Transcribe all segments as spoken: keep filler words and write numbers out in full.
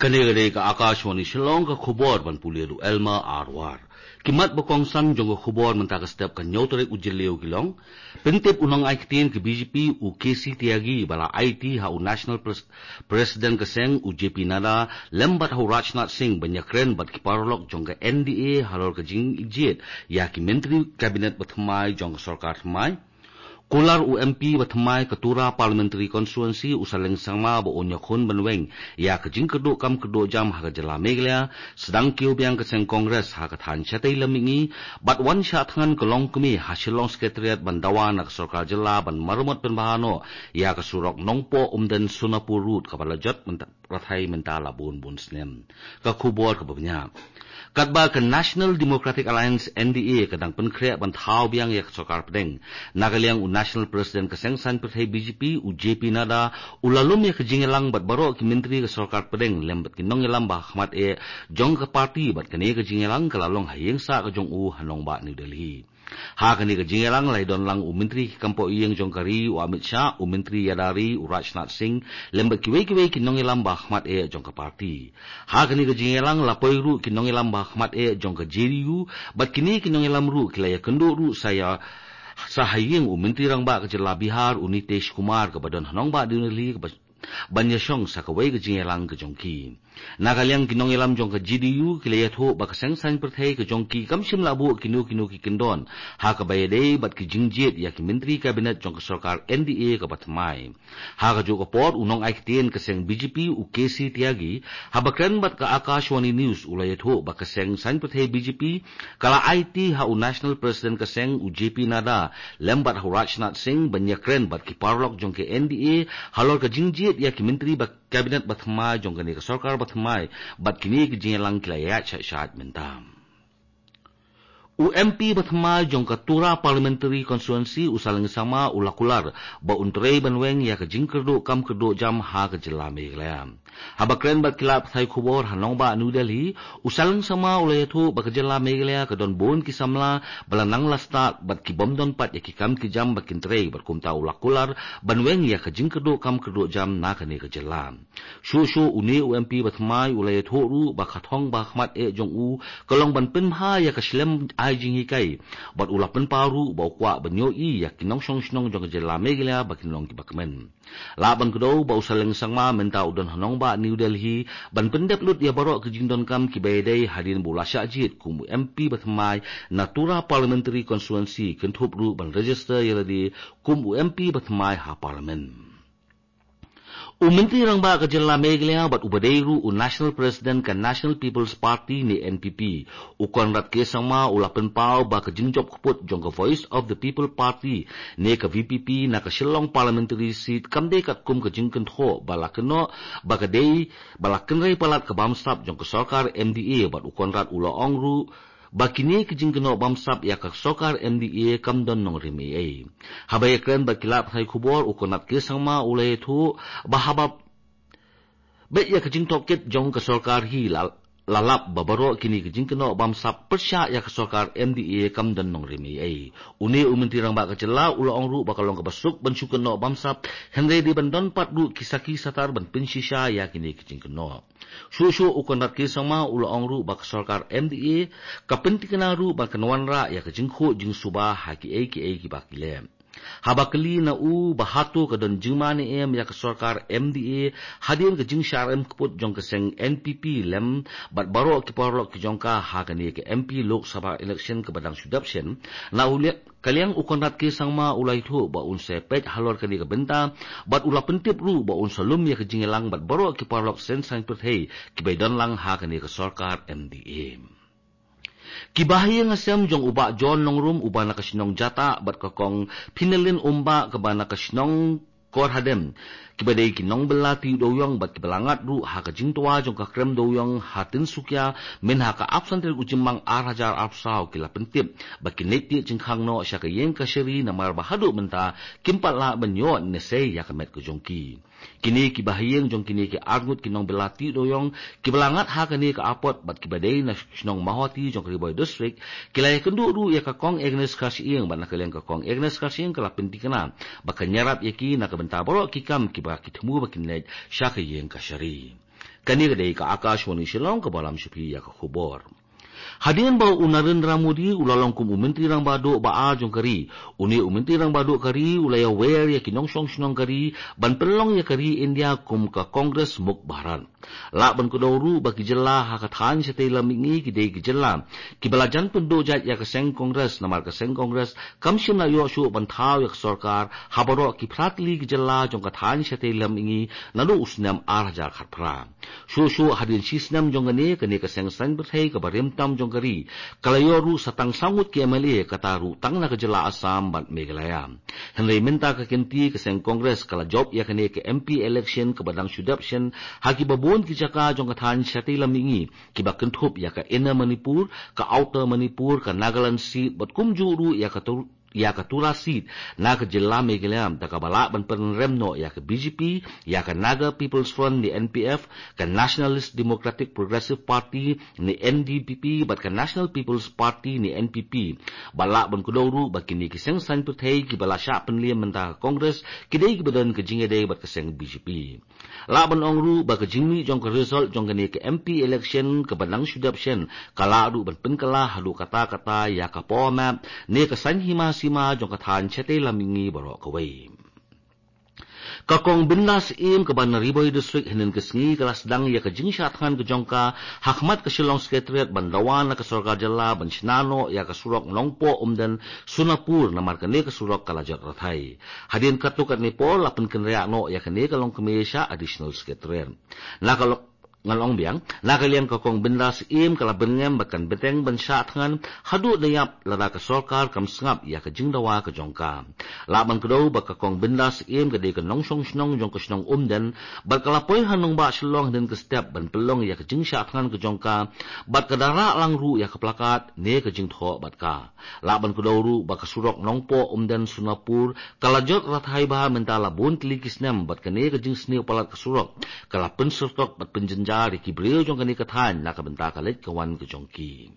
Kane ka dei ka Akashvani Shillong, ka khubor ban pule da u Elma Arwar. Ki mat ba kongsan jong ka khubor mynta ka step ka hynñiew tarik u Jylliew ki long: Pyntip u nongai ktien ka B J P u K C Tyagi ba la aiti ha u National Pres- President ka seng u J P Nadda lem bad ha u Rajnath Singh ban ïakren bad ki paralok jong ka N D A halor ka jingjied ïa ki myntri kabinet ba thymmai jong ka sorkar thymmai. Kular u M P ba thymmai ka Tura Parliamentary Constituency u Saleng Sangma ba un ïakhun ban weng ïa ka jingkyrduh kam kyrduh jam ha ka jylla Meghalaya, sdang kiew biang ka seng Congress ha ka thaiñ shatei lam mihngi, bad wan shah thngan ka longkmie ha Shillong Secretariat ban dawa na ka sorkar jylla ban maramot pynbha noh ïa ka surok Nongpoh Umden Sonapur Road kaba la jot mynta, rathai mynta la bun bun snem. Ka khubor kaba bniah. Katba ka National Democratic Alliance, N D A, ka dang pynkhreh ban thaw biang ïa ka sorkar pdeng, na ka liang u National President ka seng saiñ pyrthei B J P u J P Nadda u la lum ïa ka jingïalang bad baroh ki myntri ka sorkar pdeng lem bad ki nongïalam ba ha khmat eh jong ka party, bad kane ka jingïalang ka la long ha ïing sah ka jong u ha nongbah New Delhi. Ha kane ka jingïalang la ïadon lang u Myntri ki kam poh ïing jong ka ri u Amit Shah, u Myntri ïada ri u Rajnath Singh, lem bad kiwei kiwei ki nongïalam ba ha khmat eh jong ka party. Ha kane ka jingïalang la poi ruh ki nongïalam ba ha khmat eh jong ka J D U, bad kine ki nongïalam ruh ki la ïakynduh ruh sa ïa, sa ha ïing u Myntri Rangbah ka jylla Bihar u Nitish Kumar kaba don ha nongbah New Delhi kaba ban ïashong sa kawei ka jingïalang ka jong ki. Na ka liang ki nongïalam jong ka J D U ki la ïathuh ba ka seng saiñ pyrthei ka jong ki kam shym la buh kino kino ki kyndon ha kaba ïadei bad ki jingjied ïa ki myntri kabinet jong ka sorkar N D A kaba thymmai. Ha kajuh ka por u nongai ktien ka seng B J P u K C Tyagi haba kren bad ka Akashvani News u la ïathuh ba ka seng saiñ pyrthei B J P ka la aiti ha u National President ka seng u J P Nadda lem bad ha u Rajnath Singh ban ïakren bad ki paralok jong ka N D A halor ka jingjied ïa ki myntri ba kabinet ba thymmai jong kane ka sorkar ba thymmai, bad kine ki jingïalang ki la ïaid shait shait mynta. U M P ba thymmai jong ka Tura Parliamentary Constituency u Saleng Sangma u la kular ba un trei ban weng ïa ka jingkyrduh kam kyrduh jam ha ka jylla Meghalaya. Haba kren bad ki lad pathai khubor ha nongbah New Delhi, u Saleng Sangma u la ïathuh ba ka jylla Meghalaya ka don bun ki samla ba la nang la stad bad ki bym don pat ïa ki kam ki jam ba kin trei, bad kumta u la kular ban weng ïa ka jingkyrduh kam kyrduh jam na kane ka jylla. Shuh shuh une u M P ba thymmai u la ïathuh ruh ba ka thong ba ha khmat eh jong u ka long ban pynbha ïa ka shlem ai jinghikai, bad u la pynpaw ruh ba u kwah ban ïohi ïa ki nongshong shnong jong ka jylla Meghalaya ba kin long kiba kmen. Lah ban kdew ba u Saleng Sangma mynta u don ha nongbah New Delhi ban pyndep lut ïa baroh ki jingdonkam kiba ïadei hadien ba u la shah jied kum u M P ba thymmai na Tura Parliamentary Constituency, kynthup ruh ban register ïa lade kum u M P ba thymmai ha Parliament. U Myntri Rangbah ka jylla Meghalaya bad uba dei ruh u National President ka National People's Party ne N P P, u Conrad K Sangma u la pynpaw ba ka jingjop kput jong ka Voice of the People Party ne ka V P P na ka Shillong Parliamentary Seat kam dei katkum ka jingkynthoh ba la kynnoh ba ka dei ba la kynrei palat ka bamsap jong ka sorkar M D A, bad u Conrad u la ong ruh ba kine ki jingkynnoh bamsap ïa ka sorkar M D A kam don nongrim ei ei. Haba ïakren bad ki lad pathai khubor u Conrad K Sangma u la ïathuh ba haba beit ïa ka jingtohkit jong ka sorkar hi la, la lap ba baroh kine ki jingkynnoh bamsap pyrshah ïa ka sorkar M D A kam don nongrim ei ei. Une u Myntri Rangbah ka jylla u la ong ruh ba ka long kaba suk ban shu kynnoh bamsap, hynrei dei ban don pat ruh ki sakhi satar ban pynshisha ïa kine ki jingkynnoh. Shuh shuh u Conrad K Sangma u la ong ruh ba ka sorkar M D A ka pyntikna ruh ba kan wanrah ïa ka jingkhuh jingsuba ha kiei kiei kiba ki leh. Haba kylli na u ba hato ka don jingma ne em ïa ka sorkar M D A hadien ka jingshah rem kput jong ka seng N P P lem bad baroh ki paralok ki jong ka ha kane ka M P Lok Sabha election kaba dang shu dep shen, na u liang ka liang u Conrad K Sangma u la ïathuh ba un sa peit halor kane ka bynta, bad u la pyntip ruh ba un sa lum ïa ka jingïalang bad baroh ki paralok seng saiñ pyrthei kiba ïadon lang ha kane ka sorkar M D A. Ki bahaïing hasem jong u Bah John Nongrum uba na ka shnong Jatah bad ka Kong Phinalin Umbah kaba na ka shnong Korhadem, kiba dei ki nongbylla tih dewïong bad kiba la ngat ruh ha ka jingtwa jong ka krem dewïong ha Tinsukia mynha ka arphew san tarik u Jymmang ar hajar arphew saw, ki la pyntip ba kin leit tih jingkhang noh sha ka ïing kashari namar ba haduh mynta kim pat lah ban ïoh ne sei ïa ka met ka jong ki. Kine ki bahaïing jong kine ki arngut ki nongbylla tih dewïong kiba la ngat ha kane ka apot bad kiba dei na shnong Mawhati jong ka Ri Bhoi District, ki la ïakynduh ruh ïa ka Kong Agnes Kharshiing, bad na ka liang ka Kong Agnes Kharshiing ka la pyntikna ba kan ïarap ïa ki na ka bynta baroh ki kam kiba ki thmu ba kin leit sha ka ïing kashari. Kane ka dei ka Akashvani Shillong kaba lam sha phi ïa ka khubor. Hadien ba u Narendra Modi u la long kum u Myntri Rangbah Duh ba ar jong ka ri, une u Myntri Rangbah Duh ka ri u la ïawer ïa ki nongshong shnong ka ri ban pynlong ïa ka ri India kum ka Congress Mukt Bharat. Lah ban kdew ruh ba ki jylla ha ka thaiñ shatei lam mihngi ki dei ki jylla kiba la jan pynduh jait ïa ka seng Congress, namar ka seng Congress kam shym la ïoh shuh ban thaw ïa ka sorkar ha baroh ki phra tylli ki jylla jong ka thaiñ shatei lam mihngi naduh u snem ar hajar khatphra. Shuh shuh hadien shi snem jong kane, kane ka seng saiñ pyrthei kaba rim tam jong ka ri ka la ïoh ruh sa tang saw ngut ki M L A, kata ruh tang na ka jylla Assam bad Meghalaya. Hynrei mynta ka kynti ka seng Congress ka la jop ïa kane ka M P election kaba dang shu dep shen ha kiba bun ki jaka jong ka thaiñ shatei lam mihngi, kiba kynthup ïa ka Inner Manipur, ka Outer Manipur, ka Nagaland seat bad kumjuh ruh ïa ka Tur ïa ka Tura seat na ka jylla Meghalaya, da kaba lah ban pynrem noh ïa ka B J P, ïa ka Naga People's Front ne N P F, ka Nationalist Democratic Progressive Party ne N D P P bad ka National People's Party ne N P P. Bad lah ban kdew ruh ba kine ki seng saiñ pyrthei kiba la shah pynliem mynta ka Congress ki dei kiba don ka jingïadei bad ka seng B J P. Lah ban ong ruh ba ka jingmih jong ka result jong kane ka M P election kaba dang shu dep shen ka lah ruh ban pynkylla haduh katta katta ïa ka power map ne ka saiñ hima sima jong ka thaiñ shatei lam mihngi baroh kawei. Ka Kong Bindas Syiem kaba na Ri Bhoi District hynnin ka sngi ka la sdang ïa ka jingshah thngan ka jong ka ha khmat ka Shillong Secretariat ban dawa na ka sorkar jylla ban shna noh ïa ka surok Nongpoh Umden Sonapur, namar kane ka surok ka la jot rathai. Hadien katto katne por la pynkynriah noh ïa kane ka longkmie sha Additional Secretariat. Na ka lo-, ngan ong biang, na ka liang ka Kong Bindas Syiem ka la byrngem bad kan bteng ban shah thngan haduh da ïap lada ka sorkar kam sngap ïa ka jingdawa ka jong ka. Lah ban kdew ba ka Kong Bindas Syiem ka dei ka nongshong shnong jong ka shnong Umden, bad ka la poi ha nongbah Shillong hynnin ka step ban pynlong ïa ka jingshah thngan ka jong ka, bad ka da rah lang ruh ïa ka plakat ne ka jingthoh bad ka. Lah ban kdew ruh ba ka surok Nongpoh Umden Sonapur ka la jot rathai bha mynta la bun tylli ki snem, bad kane ka jingsniew palat ka surok ka la pynsyrtok bad pynjynjar ïa ki briew jong kane ka thaiñ na ka bynta ka leit ka wan ka jong ki.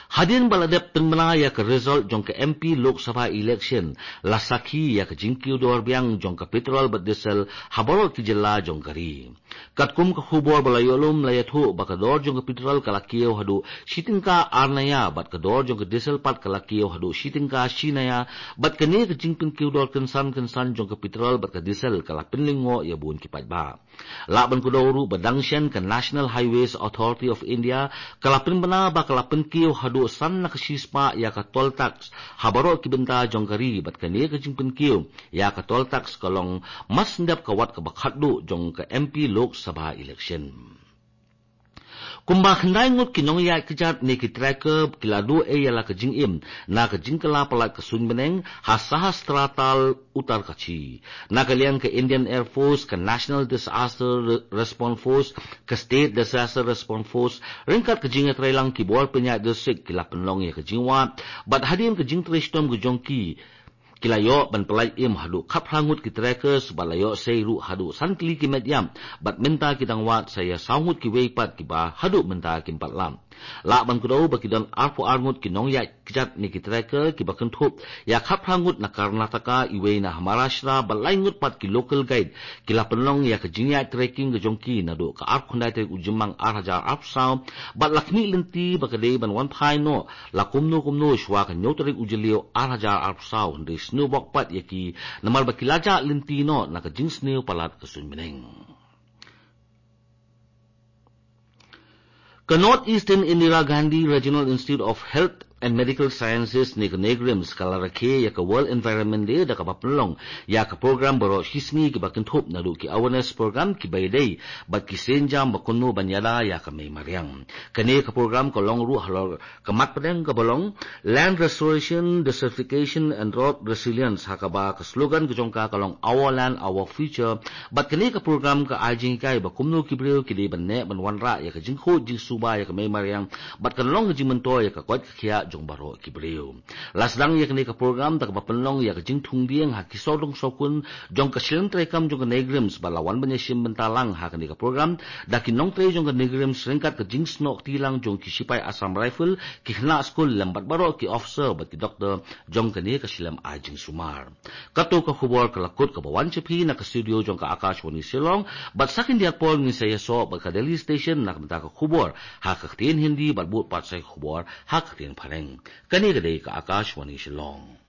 Hadien ba la dep pynbna ïa ka result jong ka M P Lok Sabha election, la sakhi ïa ka jingkiew dor biang jong ka petrol bad diesel ha baroh ki jylla jong ka ri. Katkum ka khubor ba la ïoh lum, la ïathuh ba ka dor jong ka petrol ka la kiew haduh shi tyngka ar naya, bad ka dor jong ka diesel pat ka la kiew haduh shi tyngka shi naya, bad kane ka jingpynkiew dor kynsan kynsan jong ka petrol bad ka diesel ka la pynlyngngoh ïa bun ki paidbah. Lah ban kdew ruh ba dang shen ka National Highways Authority of India ka la pynbna ba ka la pynkiew haduh san na ka shispah ïa ka toll tax ha baroh ki bynta jong ka ri, bad kane ka jingpynkiew ïa ka toll tax ka long mar shen dep ka wat kaba khatduh jong ka M P Lok Sabha election. Kumba khyndai ngut ki nongïaid kjat ne ki trekker ki la duh ei ïa la ka jingim na ka jingkylla palat ka suiñ bneng ha Sahastra Tal, Uttarkashi. Na ka liang ka Indian Air Force, ka National Disaster Re-, Response Force, ka State Disaster Response Force, ryngkat ka jingïatreilang ki bor pynïaid district ki la pynlong ïa ka jingwad, bad hadien ka jingtrei shitom ka jong ki, ki la ïoh ban pyllait im haduh khatphra ngut ki trekkers, bad la ïoh sei ruh haduh san tylli ki met ïap, bad mynta ki dang wad sa ïa saw ngut kiwei pat kiba haduh mynta kim pat lap. Lah ban kdew ba ki don arphew ar ngut ki nongïaid kjat ne ki trekker kiba kynthup ïa khatphra ngut na Karnataka, iwei na Maharashtra, bad lai ngut pat ki local guide ki la pynlong ïa ka jingïaid trekking ka jong ki naduh ka arphew khyndai tarik u Jymmang ar hajar arphew saw, bad la khmih lynti ba ka dei ban wan phai noh la kumno kumno shuwa ka hynñiew tarik u Jylliew ar hajar arphew saw, hynrei sniew bok pat ïa ki namar ba ki la jah lynti noh na ka jingsniew palat ka suiñ bneng. Ka North Eastern Indira Gandhi Regional Institute of Health and Medical Sciences ne ka NEIGRIHMS ka la rakhe ïa ka World Environment Day da kaba pynlong ïa ka program baroh shi sngi kiba kynthup naduh ki awareness program kiba ïadei bad ki sienjam ba kumno ban ïada ïa ka mei mariang. Kane ka program ka long ruh halor ka mat pdeng kaba long Land Restoration, Desertification and Drought Resilience, ha kaba ka slogan ka jong ka ka long Our Land, Our Future. Bad kane ka program ka ai jinghikai ba kumno ki briew ki dei ban neh ban wanrah ïa ka jingkhuid jingsuba ïa ka mei mariang, bad kan long ka jingmyntoi ïa ka koit ka khiah jong baroh ki briew. La sdang ïa kane ka program da kaba pynlong ïa ka jingthung dieng ha ki sawdong sawkun jong ka shlem treikam jong ka NEIGRIHMS bad la wan ban ïashim bynta lang ha kane ka program da ki nongtrei jong ka NEIGRIHMS ryngkat ka jingsnoh kti lang jong ki sipai Assam Rifle, ki khynnah skul lem bad baroh ki officer bad ki doktor jong kane ka shlem ai jingsumar. Kato ka khubor ka la kut kaba wan sha phi na ka studio jong ka Akashvani Shillong, bad sa khyndiat por ngin sa ïasoh bad ka Delhi Station na ka bynta ka khubor ha ka ktien Hindi bad bud pat sa ka khubor ha ka ktien Phareng. Kane ka dei ka Akashvani Shillong.